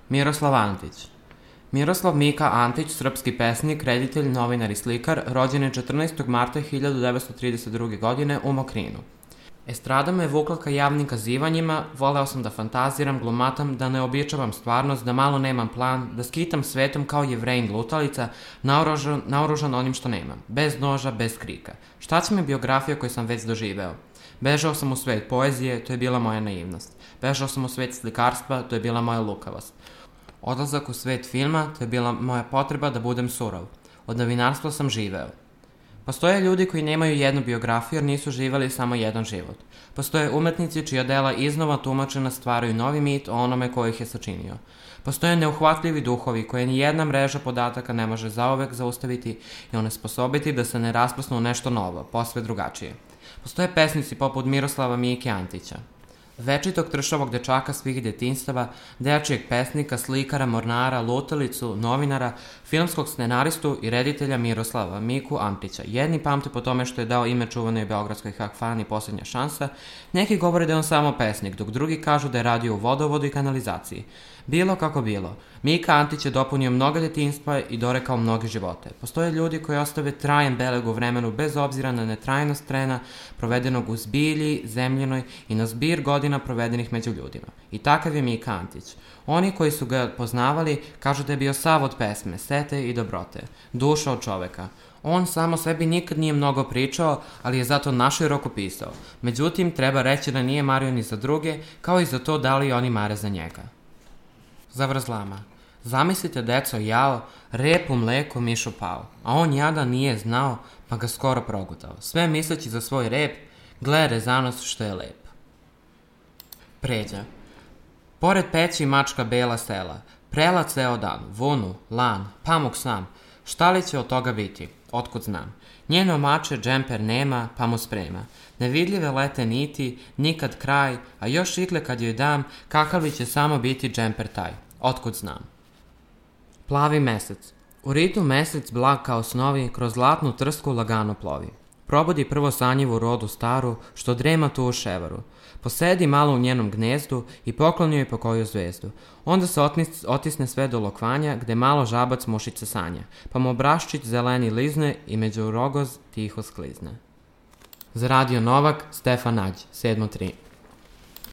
Miroslav Antić. Miroslav Mika Antić, srpski pesnik, reditelj, novinar i slikar, rođen je 14. marta 1932. godine u Mokrinu. Estrada me vukla ka javnim kazivanjima, voleo sam da fantaziram, glumatam, da ne običavam stvarnost, da malo nemam plan, da skitam svetom kao Jevrejin lutalica, naoružan onim što nemam, bez noža, bez krika. Šta će mi biografija koju sam već doživeo? Bežao sam u svet poezije, to je bila moja naivnost. Bežao sam u svet slikarstva, to je bila moja lukavost. Odlazak u svet filma, to je bila moja potreba da budem surov. Od novinarstva sam živeo. Postoje ljudi koji nemaju jednu biografiju jer nisu živeli samo jedan život. Postoje umetnici čija dela iznova tumačena stvaraju novi mit o onome ko ih je sačinio. Postoje neuhvatljivi duhovi koje ni jedna mreža podataka ne može zauvek zaustaviti i onesposobiti da se ne rasplasnu u nešto novo, posve drugačije. Postoje pesnici poput Miroslava Mike Antića. Večitog tršavog dečaka svih detinjstava, dečijeg pesnika, slikara, mornara, lutalicu, novinara, filmskog scenaristu i reditelja Miroslava Miku Antića. Jedni pamte po tome što je dao ime čuvanoj beogradskoj hakfani Poslednja šansa, neki govore da je on samo pesnik, dok drugi kažu da je radio u vodovodu i kanalizaciji. Bilo kako bilo, Mika Antić je dopunio mnoga detinjstva i dorekao mnoge živote. Postoje ljudi koji ostave trajan beleg u vremenu bez obzira na netrajnost trena provedenog u zbilji, zemljenoj i na zbir godina provedenih među ljudima. I takav je Mika Antić. Oni koji su ga poznavali kažu da je bio sav od pesme, sete i dobrote, duša od čoveka. On samo sebi nikad nije mnogo pričao, ali je zato naširoko pisao. Međutim, treba reći da nije mario ni za druge, kao i za to da li oni mare za njega. Zavrzlama. Zamislite, deco, jao, rep u mleku mišu pao, a on jada nije znao, pa ga skoro progutao. Sve misleći za svoj rep, gle rezanost što je lep. Pređa. Pored peći mačka bela sela, prela ceo dan, vunu, lan, pamuk sam, šta li će od toga biti, otkud znam. Njeno mače džemper nema, pa mu sprema. Nevidljive lete niti, nikad kraj, a još ikle kad joj dam, kakav li će samo biti džemper taj, otkud znam. Plavi mesec. U ritu mesec blag kao snovi, kroz zlatnu trsku lagano plovi. Probudi prvo sanjivu rodu staru, što drema tu u ševaru. Posedi malo u njenom gnezdu i pokloni joj po koju zvezdu. Onda se otisne sve do lokvanja, gde malo žabac mušice sanja, pa mu obraščić zeleni lizne i među rogoz tiho sklizne. Za Radio Novak, Stefan Nađ, 7.3.